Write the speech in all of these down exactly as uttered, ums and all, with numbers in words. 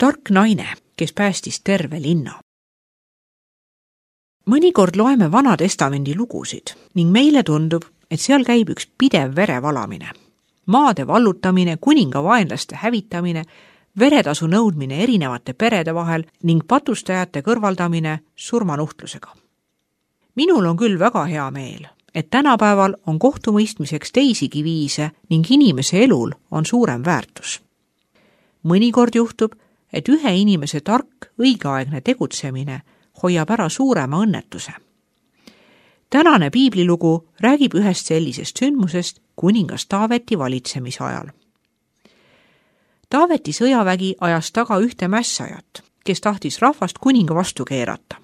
Tark naine, kes päästis terve linna. Mõnikord loeme Vana Testamendi lugusid ning meile tundub, et seal käib üks pidev verevalamine. Maade vallutamine, kuninga vaenlaste hävitamine, veretasu nõudmine erinevate perede vahel ning patustajate kõrvaldamine surmanuhtlusega. Minul on küll väga hea meel, et tänapäeval on kohtumõistmiseks teisigi viise ning inimese elul on suurem väärtus. Mõnikord juhtub, et ühe inimese tark, õigeaegne tegutsemine hoiab ära suurema õnnetuse. Tänane piiblilugu räägib ühest sellisest sündmusest kuningas Taaveti valitsemise ajal. Taaveti sõjavägi ajas taga ühte mässajat, kes tahtis rahvast kuninga vastu keerata.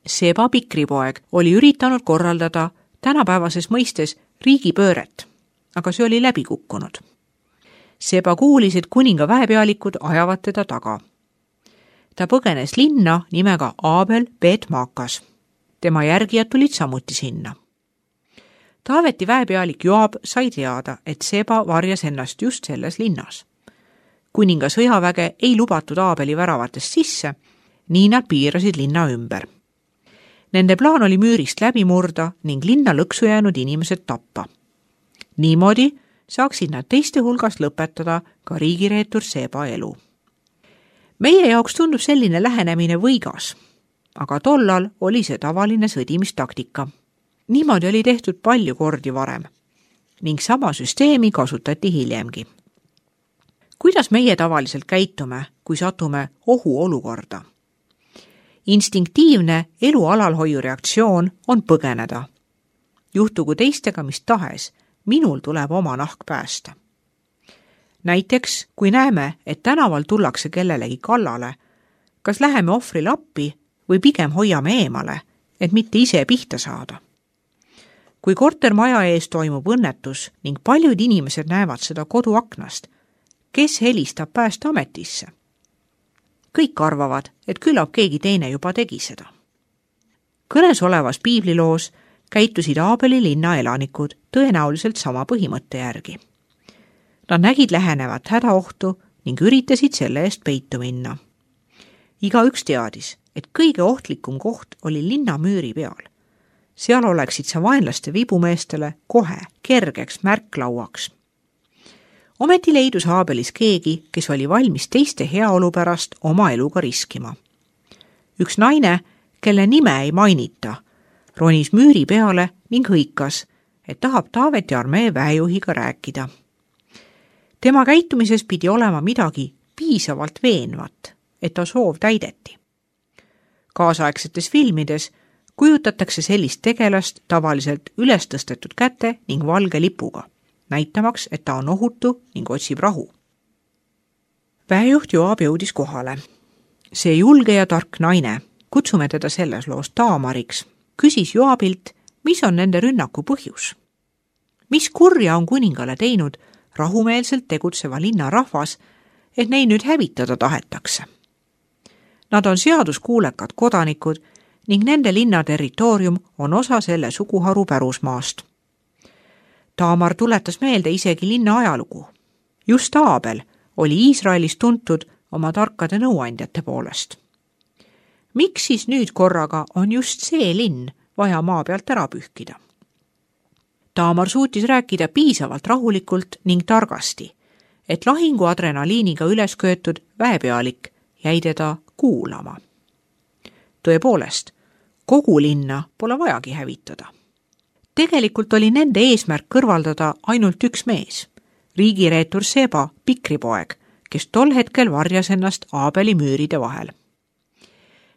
Seba pikripoeg oli üritanud korraldada tänapäevases mõistes riigipööret, aga see oli läbi kukkunud. Seba kuulis, et kuninga väepealikud ajavad teda taga. Ta põgenes linna nimega Abel Bet-Maakas. Tema järgijad tulid samuti sinna. Taaveti väepealik Joab sai teada, et Seba varjas ennast just selles linnas. Kuninga sõjaväge ei lubatud Abeli väravatest sisse, nii nad piirasid linna ümber. Nende plaan oli müürist läbi murda ning linna lõksu jäänud inimesed tappa. Niimoodi saaksid nad teiste hulgas lõpetada ka riigireetur Seba elu. Meie jaoks tundub selline lähenemine võigas, aga tollal oli see tavaline sõdimistaktika. Niimoodi oli tehtud palju kordi varem ning sama süsteemi kasutati hiljemgi. Kuidas meie tavaliselt käitume, kui satume ohuolukorda? Instinktiivne elu alalhoiu reaktsioon on põgeneda. Juhtugu teistega mis tahes, minul tuleb oma nahk päästa. Näiteks, kui näeme, et tänaval tullakse kellelegi kallale, kas läheme ohvrile appi või pigem hoiame eemale, et mitte ise pihta saada. Kui kortermaja ees toimub õnnetus ning paljud inimesed näevad seda koduaknast, kes helistab päästeametisse? Kõik arvavad, et küllap keegi teine juba tegi seda. Kõnes olevas piibliloos käitusid Abeli linna elanikud tõenäoliselt sama põhimõtte järgi. Nad nägid lähenevat hädaohtu ning üritasid selle eest peitu minna. Igaüks teadis, et kõige ohtlikum koht oli linna müüri peal. Seal oleksid sa vaenlaste vibumeestele kohe kergeks märklauaks. Ometi leidus Abelis keegi, kes oli valmis teiste heaolu pärast oma eluga riskima. Üks naine, kelle nime ei mainita, ronis müüri peale ning hõikas, et tahab Taaveti armee väejuhiga rääkida. Tema käitumises pidi olema midagi piisavalt veenvat, et ta soov täideti. Kaasaegsetes filmides kujutatakse sellist tegelast tavaliselt üles tõstetud käte ning valge lipuga, näitamaks, et ta on ohutu ning otsib rahu. Väejuht Joab jõudis kohale. See julge ja tark naine, kutsume teda selles loos Taamariks, küsis Joabilt, mis on nende rünnaku põhjus. Mis kurja on kuningale teinud rahumeelselt tegutseva linna rahvas, et neid nüüd hävitada tahetakse. Nad on seaduskuulekad kodanikud ning nende linna territoorium on osa selle suguharu pärusmaast. Taamar tuletas meelde isegi linna ajalugu. Just Abel oli Iisraelis tuntud oma tarkade nõuandjate poolest. Miks siis nüüd korraga on just see linn vaja maa pealt ära pühkida? Taamar suutis rääkida piisavalt rahulikult ning targasti, et lahingu adrenaliiniga üles köetud väepealik jäi teda kuulama. Tõepoolest, kogu linna pole vajagi hävitada. Tegelikult oli nende eesmärk kõrvaldada ainult üks mees, riigireetur Seba pikripoeg, kes tol hetkel varjas ennast Abeli müüride vahel.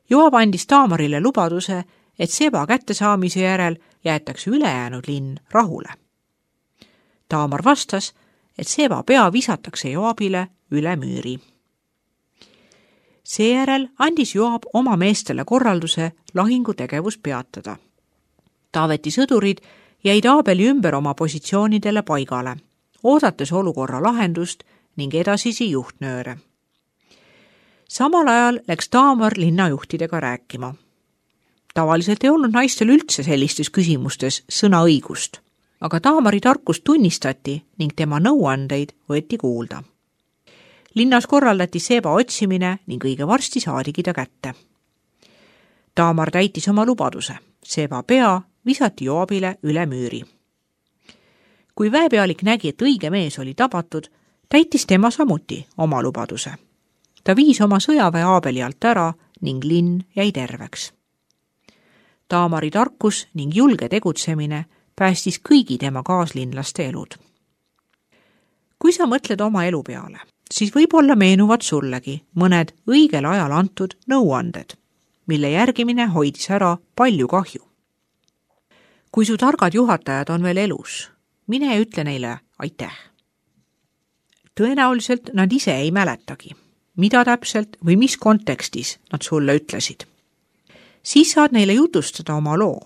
Joab andis Taamarile lubaduse, et Seba kättesaamise järel jäetakse ülejäänud linn rahule. Taamar vastas, et Seba pea visatakse Joabile üle müüri. Seejärel andis Joab oma meestele korralduse lahingutegevus peatada. Taaveti sõdurid jäid Abeli ümber oma positsioonidele paigale, oodates olukorra lahendust ning edasisi juhtnööre. Samal ajal läks Taamar linnajuhtidega rääkima. Tavaliselt ei olnud naistel üldse sellistes küsimustes sõnaõigust, aga Taamari tarkust tunnistati ning tema nõuandeid võeti kuulda. Linnas korraldati Seba otsimine ning õige varsti saadigi ta kätte. Taamar täitis oma lubaduse. Seba pea visati Joabile üle müüri. Kui väepealik nägi, et õige mees oli tabatud, täitis tema samuti oma lubaduse. Ta viis oma sõjaväe Aabeli alt ära ning linn jäi terveks. Taamari tarkus ning julge tegutsemine päästis kõigi tema kaaslinlaste elud. Kui sa mõtled oma elu peale, siis võib-olla meenuvad sullegi mõned õigel ajal antud nõuanded, mille järgimine hoidis ära palju kahju. Kui su targad juhatajad on veel elus, mine ja ütle neile aitäh. Tõenäoliselt nad ise ei mäletagi, mida täpselt või mis kontekstis nad sulle ütlesid. Siis saad neile jutustada oma loo,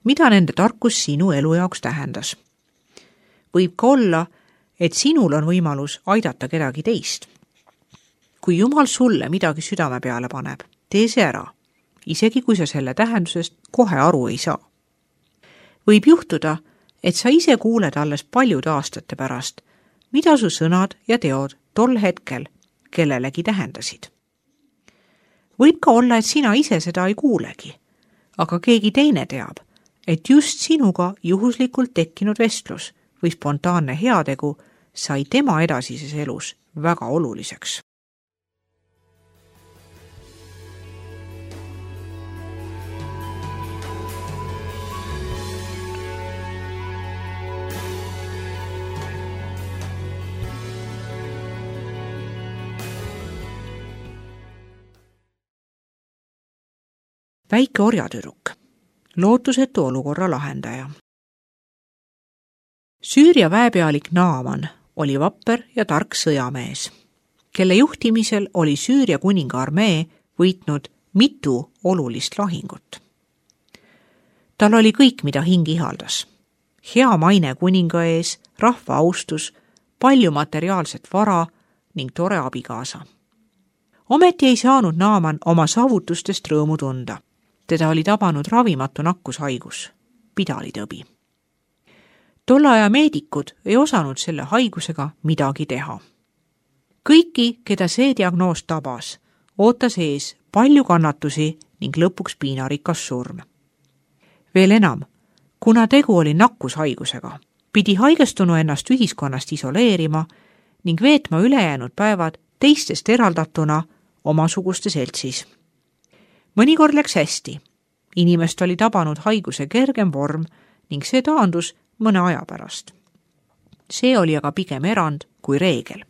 mida nende tarkus sinu elu jaoks tähendas. Võib ka olla, et sinul on võimalus aidata kedagi teist. Kui Jumal sulle midagi südame peale paneb, tee see ära, isegi kui sa selle tähendusest kohe aru ei saa. Võib juhtuda, et sa ise kuuled alles paljude aastate pärast, mida su sõnad ja teod tol hetkel kellelegi tähendasid. Võib ka olla, et sina ise seda ei kuulegi, aga keegi teine teab, et just sinuga juhuslikult tekkinud vestlus või spontaanne heategu sai tema edasises elus väga oluliseks. Väike orjatüdruk, lootusetu olukorra lahendaja. Süüria väepealik Naaman oli vapper ja tark sõjamees, kelle juhtimisel oli Süüria kuninga armee võitnud mitu olulist lahingut. Tal oli kõik, mida hing ihaldas. Hea maine kuninga ees, rahva austus, palju materiaalset vara ning tore abikaasa. Ometi ei saanud Naaman oma saavutustest rõõmu tunda. Teda oli tabanud ravimatu nakkushaigus, pidalitõbi. Tolle aja meedikud ei osanud selle haigusega midagi teha. Kõiki, keda see diagnoos tabas, ootas ees palju kannatusi ning lõpuks piinarikas surm. Veel enam, kuna tegu oli nakkushaigusega, pidi haigestunu ennast ühiskonnast isoleerima ning veetma ülejäänud päevad teistest eraldatuna omasuguste seltsis. Mõnikord läks hästi. Inimest oli tabanud haiguse kergem vorm ning see taandus mõne aja pärast. See oli aga pigem erand kui reegel.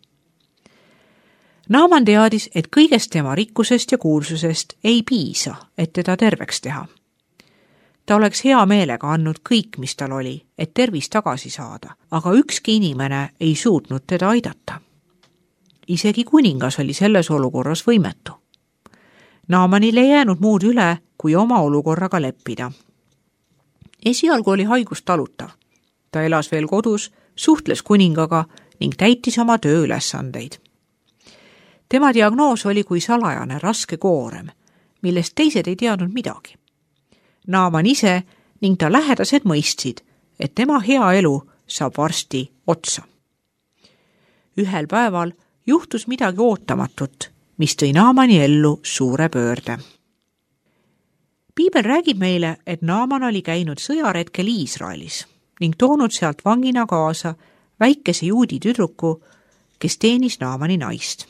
Naaman teadis, et kõigest tema rikkusest ja kuulsusest ei piisa, et teda terveks teha. Ta oleks hea meelega andnud kõik, mis tal oli, et tervis tagasi saada, aga ükski inimene ei suutnud teda aidata. Isegi kuningas oli selles olukorras võimetu. Naamanil ei jäänud muud üle, kui oma olukorraga leppida. Esialgu oli haigus talutav. Ta elas veel kodus, suhtles kuningaga ning täitis oma tööülesandeid. Tema diagnoos oli kui salajane raske koorem, millest teised ei teadnud midagi. Naaman ise ning ta lähedased mõistsid, et tema hea elu saab varsti otsa. Ühel päeval juhtus midagi ootamatut, mis tõi Naamani ellu suure pöörde. Piibel räägib meile, et Naaman oli käinud sõjaretkel Iisraelis ning toonud sealt vangina kaasa väikese juudi tüdruku, kes teenis Naamani naist.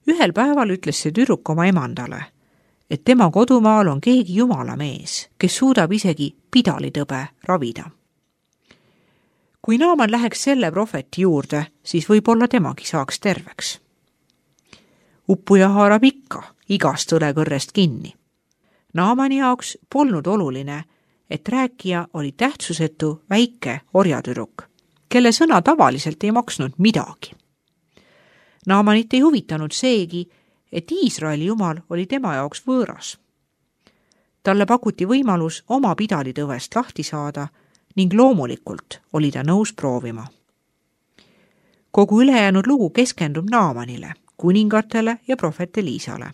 Ühel päeval ütles see tüdruk oma emandale, et tema kodumaal on keegi jumala mees, kes suudab isegi pidalitõbe ravida. Kui Naaman läheks selle profeti juurde, siis võib-olla temagi saaks terveks. Uppuja haarab ikka igast õlekõrrest kinni. Naamani jaoks polnud oluline, et rääkija oli tähtsusetu väike orjatüdruk, kelle sõna tavaliselt ei maksnud midagi. Naamanit ei huvitanud seegi, et Iisraeli jumal oli tema jaoks võõras. Talle pakuti võimalus oma pidalitõvest lahti saada ning loomulikult oli ta nõus proovima. Kogu ülejäänud lugu keskendub Naamanile, kuningatele ja prohvet Eliisale.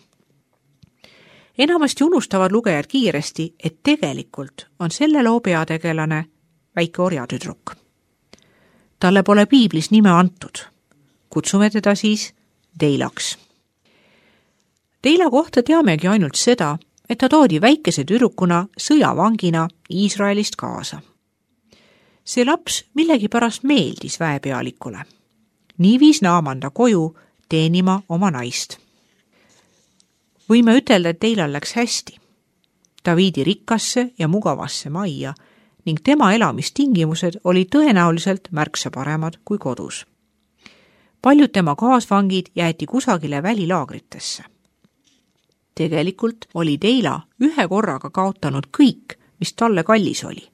Enamasti unustavad lugejad kiiresti, et tegelikult on selle loo peategelane väike orjatüdruk. Talle pole piiblis nime antud. Kutsume teda siis Teilaks. Teila kohta teamegi ainult seda, et ta toodi väikese tüdrukuna sõjavangina Iisraelist kaasa. See laps millegipärast meeldis väepealikule. Nii viis Naaman ta koju teenima oma naist. Võime ütelda, et Teilal läks hästi. Ta viidi rikkasse ja mugavasse majja ning tema elamistingimused olid tõenäoliselt märksa paremad kui kodus. Paljud tema kaasvangid jäeti kusagile välilaagritesse. Tegelikult oli Teila ühe korraga kaotanud kõik, mis talle kallis oli.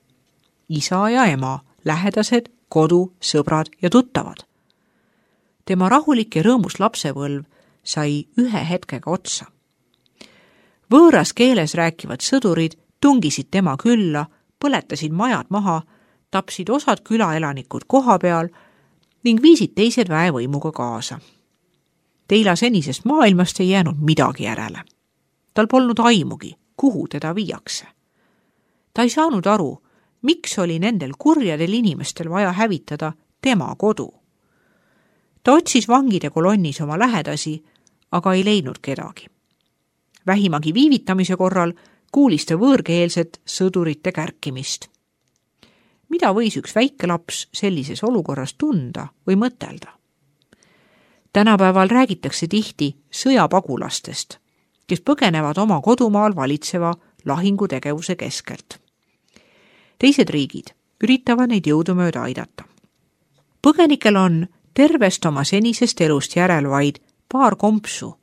Isa ja ema, lähedased, kodu, sõbrad ja tuttavad. Tema rahulik ja rõõmus lapsepõlv sai ühe hetkega otsa. Võõras keeles rääkivad sõdurid tungisid tema külla, põletasid majad maha, tapsid osad külaelanikud koha peal ning viisid teised väevõimuga kaasa. Teila senisest maailmast ei jäänud midagi järele. Tal polnud aimugi, kuhu teda viiakse. Ta ei saanud aru, miks oli nendel kurjadel inimestel vaja hävitada tema kodu. Ta otsis vangide kolonnis oma lähedasi, aga ei leidnud kedagi. Vähimagi viivitamise korral kuulis ta võõrkeelset sõdurite kärkimist. Mida võis üks väike laps sellises olukorras tunda või mõtelda? Tänapäeval räägitakse tihti sõjapagulastest, kes põgenevad oma kodumaal valitseva lahingutegevuse keskelt. Teised riigid üritavad neid jõudumööda aidata. Põgenikel on tervest oma senisest elust järel vaid paar kompsu,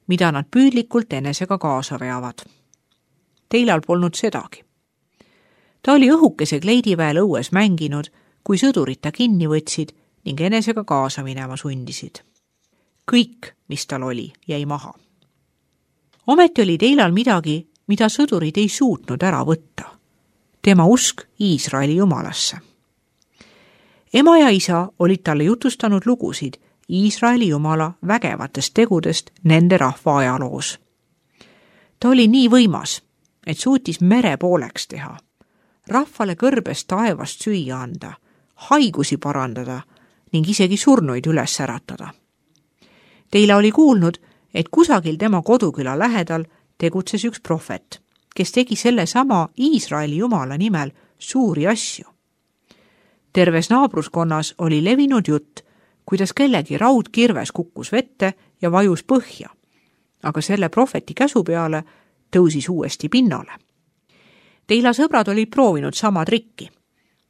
mida nad püüdlikult enesega kaasa veavad. Teilal polnud sedagi. Ta oli õhukese kleidiväel õues mänginud, kui sõdurid ta kinni võtsid ning enesega kaasa minema sundisid. Kõik, mis tal oli, jäi maha. Ometi oli Teilal midagi, mida sõdurid ei suutnud ära võtta. Tema usk Iisraeli jumalasse. Ema ja isa olid talle jutustanud lugusid Iisraeli jumala vägevatest tegudest nende rahva ajaloos. Ta oli nii võimas, et suutis mere pooleks teha, rahvale kõrbest taevast süüa anda, haigusi parandada ning isegi surnuid üles äratada. Teila oli kuulnud, et kusagil tema koduküla lähedal tegutses üks prohvet, kes tegi selle sama Iisraeli jumala nimel suuri asju. Terves naabruskonnas oli levinud jutt, kuidas kellegi raudkirves kukkus vette ja vajus põhja, aga selle prohveti käsu peale tõusis uuesti pinnale. Teila sõbrad olid proovinud sama trikki.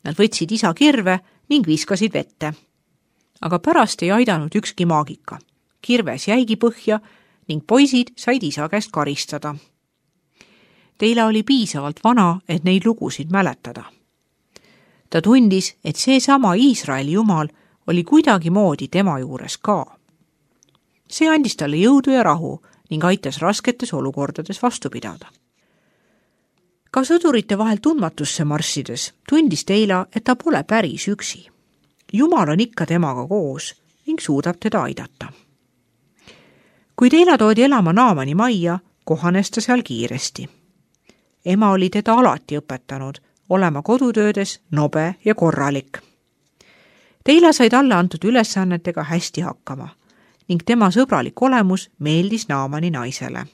Nad võtsid isa kirve ning viskasid vette. Aga pärast ei aidanud ükski maagika. Kirves jäigi põhja ning poisid said isa käest karistada. Teila oli piisavalt vana, et neid lugusid mäletada. Ta tundis, et see sama Iisraeli jumal oli kuidagi moodi tema juures ka. See andis talle jõudu ja rahu ning aitas rasketes olukordades vastu pidada. Ka sõdurite vahel tundmatusse marssides tundis Teila, et ta pole päris üksi. Jumal on ikka temaga koos ning suudab teda aidata. Kui Teila toodi elama Naamani majja, kohanes ta seal kiiresti. Ema oli teda alati õpetanud olema kodutöödes nobe ja korralik. Teila sai talle antud ülesannetega hästi hakkama ning tema sõbralik olemus meeldis Naamani naisele.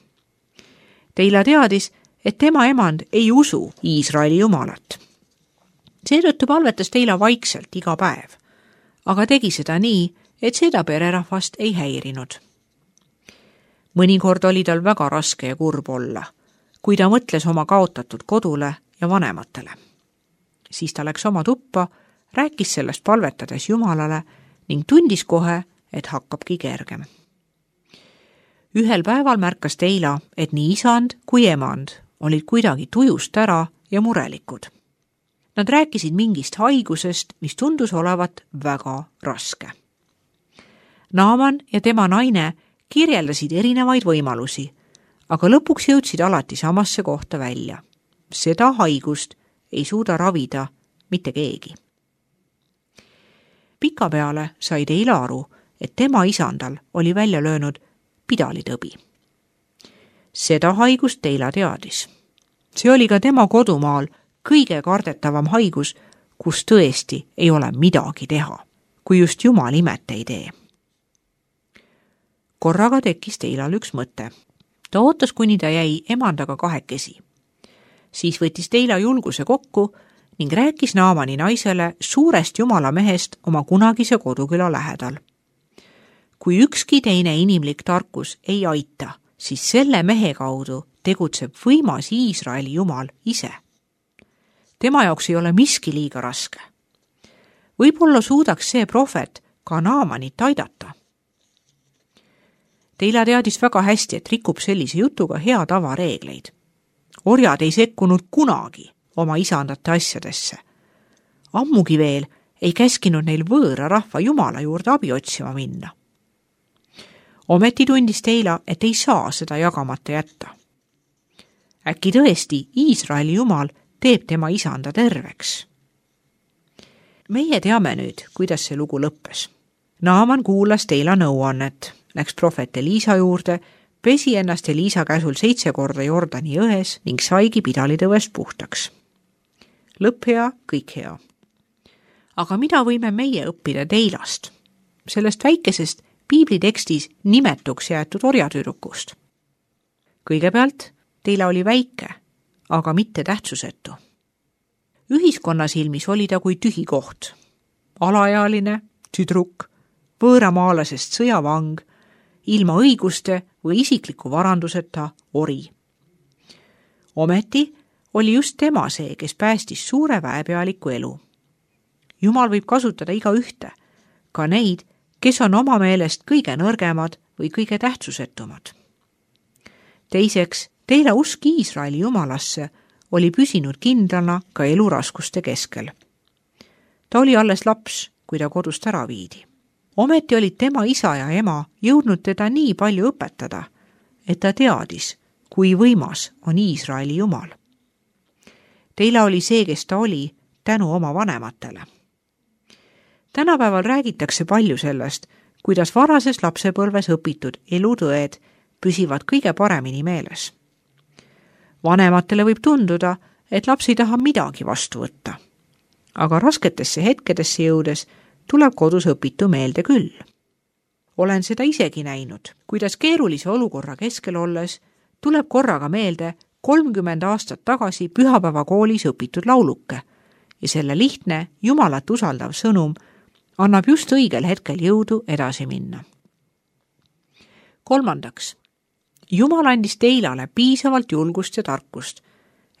Teila teadis, et tema emand ei usu Iisraeli jumalat. Seetõttu palvetas Teila vaikselt iga päev, aga tegi seda nii, et seda pererahvast ei häirinud. Mõnikord oli tal väga raske ja kurb olla, kui ta mõtles oma kaotatud kodule ja vanematele. Siis ta läks oma tuppa, rääkis sellest palvetades Jumalale ning tundis kohe, et hakkabki kergem. Ühel päeval märkas Teila, et nii isand kui emand olid kuidagi tujust ära ja murelikud. Nad rääkisid mingist haigusest, mis tundus olevat väga raske. Naaman ja tema naine kirjeldasid erinevaid võimalusi, aga lõpuks jõudsid alati samasse kohta välja. Seda haigust ei suuda ravida mitte keegi. Pikapeale sai Teila aru, et tema isandal oli välja löönud pidalitõbi. Seda haigust Teila teadis. See oli ka tema kodumaal kõige kardetavam haigus, kus tõesti ei ole midagi teha, kui just Jumal imet ei tee. korraga tekkis Teilal üks mõte. Ta ootas, kuni ta jäi emandaga kahekesi. Siis võttis Teila julguse kokku ning rääkis Naamani naisele suurest jumala mehest oma kunagise koduküla lähedal. Kui ükski teine inimlik tarkus ei aita, siis selle mehe kaudu tegutseb võimas Iisraeli jumal ise. Tema jaoks ei ole miski liiga raske. Võib-olla suudaks see prohvet ka Naamanit aidata. Teila teadis väga hästi, et rikub sellise jutuga hea tava reegleid. Orjad ei sekkunud kunagi oma isandate asjadesse. Ammugi veel ei käskinud neil võõra rahva jumala juurde abi otsima minna. Ometi tundis Teila, et ei saa seda jagamata jätta. Äkki tõesti Iisraeli jumal teeb tema isanda terveks. Meie teame nüüd, kuidas see lugu lõppes. Naaman kuulas Teila nõuannet, läks prohvet Eliisa juurde, pesi ennast Eliisa käsul seitse korda Jordani jões ning saigi pidalitõvest puhtaks. Lõpp hea, kõik hea. Aga mida võime meie õppida Teilast? Sellest väikesest piiblitekstis nimetuks jäetud orjatüdrukust. Kõigepealt Teila oli väike, aga mitte tähtsusetu. Ühiskonna silmis oli ta kui tühi koht. Alaealine, tüdruk, võõramaalasest sõjavang, ilma õiguste või isikliku varanduseta ori. Ometi oli just tema see, kes päästis suure väepealiku elu. Jumal võib kasutada iga ühte, ka neid, kes on oma meelest kõige nõrgemad või kõige tähtsusetumad. Teiseks, Teila usk Iisraeli jumalasse oli püsinud kindlana ka eluraskuste keskel. Ta oli alles laps, kui ta kodust ära viidi. Ometi olid tema isa ja ema jõudnud teda nii palju õpetada, et ta teadis, kui võimas on Iisraeli jumal. Teila oli see, kes ta oli, tänu oma vanematele. Tänapäeval räägitakse palju sellest, kuidas varases lapsepõlves õpitud elutõed püsivad kõige paremini meeles. Vanematele võib tunduda, et laps ei taha midagi vastu võtta. Aga rasketesse hetkedesse jõudes tuleb kodus õpitu meelde küll. Olen seda isegi näinud, kuidas keerulise olukorra keskel olles tuleb korraga meelde kolmkümmend aastat tagasi pühapäevakoolis õpitud lauluke ja selle lihtne, Jumalat usaldav sõnum annab just õigel hetkel jõudu edasi minna. Kolmandaks, Jumal andis Teilale piisavalt julgust ja tarkust,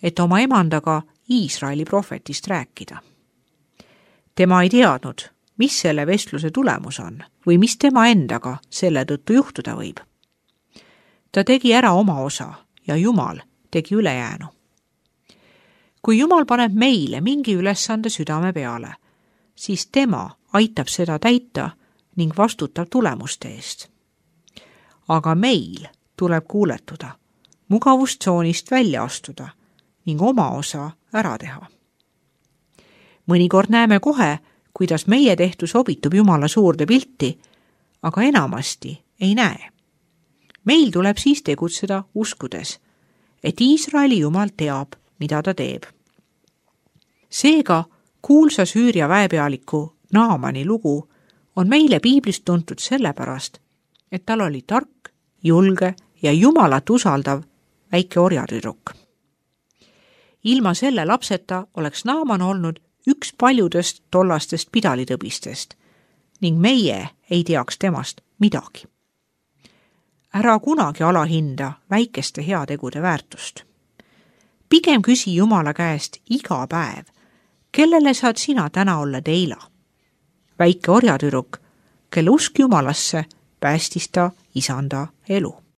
et oma emandaga Iisraeli prohvetist rääkida. Tema ei teadnud, mis selle vestluse tulemus on või mis tema endaga selle tõttu juhtuda võib. Ta tegi ära oma osa ja Jumal tegi ülejäänu. Kui Jumal paneb meile mingi ülesande südame peale, siis tema aitab seda täita ning vastutab tulemuste eest. Aga meil tuleb kuuletuda, mugavustsoonist välja astuda ning oma osa ära teha. Mõnikord näeme kohe, kuidas meie tehtu sobitub Jumala suurde pilti, aga enamasti ei näe. Meil tuleb siis tegutseda uskudes, et Iisraeli Jumal teab, mida ta teeb. Seega kuulsa Süüria väepealiku Naamani lugu on meile piiblist tuntud sellepärast, et tal oli tark, julge ja Jumalat usaldav väike orjatüdruk. Ilma selle lapseta oleks Naaman olnud üks paljudest tollastest pidalitõbistest ning meie ei teaks temast midagi. Ära kunagi alahinda väikeste heategude väärtust. Pigem küsi Jumala käest iga päev, kellele saad sina täna olla Teila? Väike orjatüdruk, kelle usk Jumalasse päästis ta isanda elu.